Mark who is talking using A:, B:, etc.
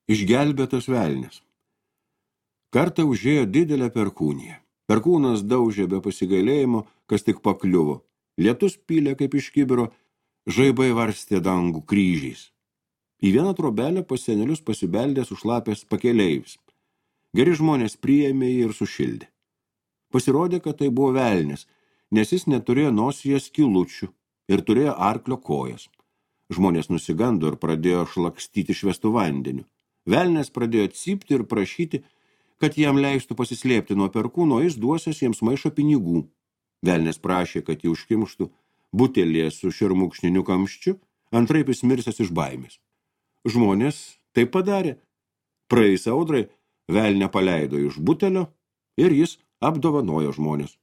A: Išgelbėtas velnis. Kartą užėjo didelę perkūniją. Perkūnas daužė be pasigailėjimo, kas tik pakliuvo. Lietus pylė kaip iš kibiro, žaibai varstė dangų kryžiais. Į vieną trobelę pas senelius pasibeldė sušlapęs pakeleivis. Geri žmonės priėmė jį ir sušildė. Pasirodė, kad tai buvo velnis, nes jis neturėjo nosyje skylučių ir turėjo arklio kojas. Žmonės nusigando ir pradėjo šlakstyti švestų vandeniu. Velnis pradėjo cypti ir prašyti, kad jam leistų pasislėpti nuo perkūno, jis duosias jiems maišą pinigų. Velnis prašė, kad jį užkimštų butelėje su šermukšniniu kamščiu, antraip jis mirsęs iš baimės. Žmonės taip padarė. Praėjus audrai, velnę paleido iš butelio ir jis apdovanojo žmonės.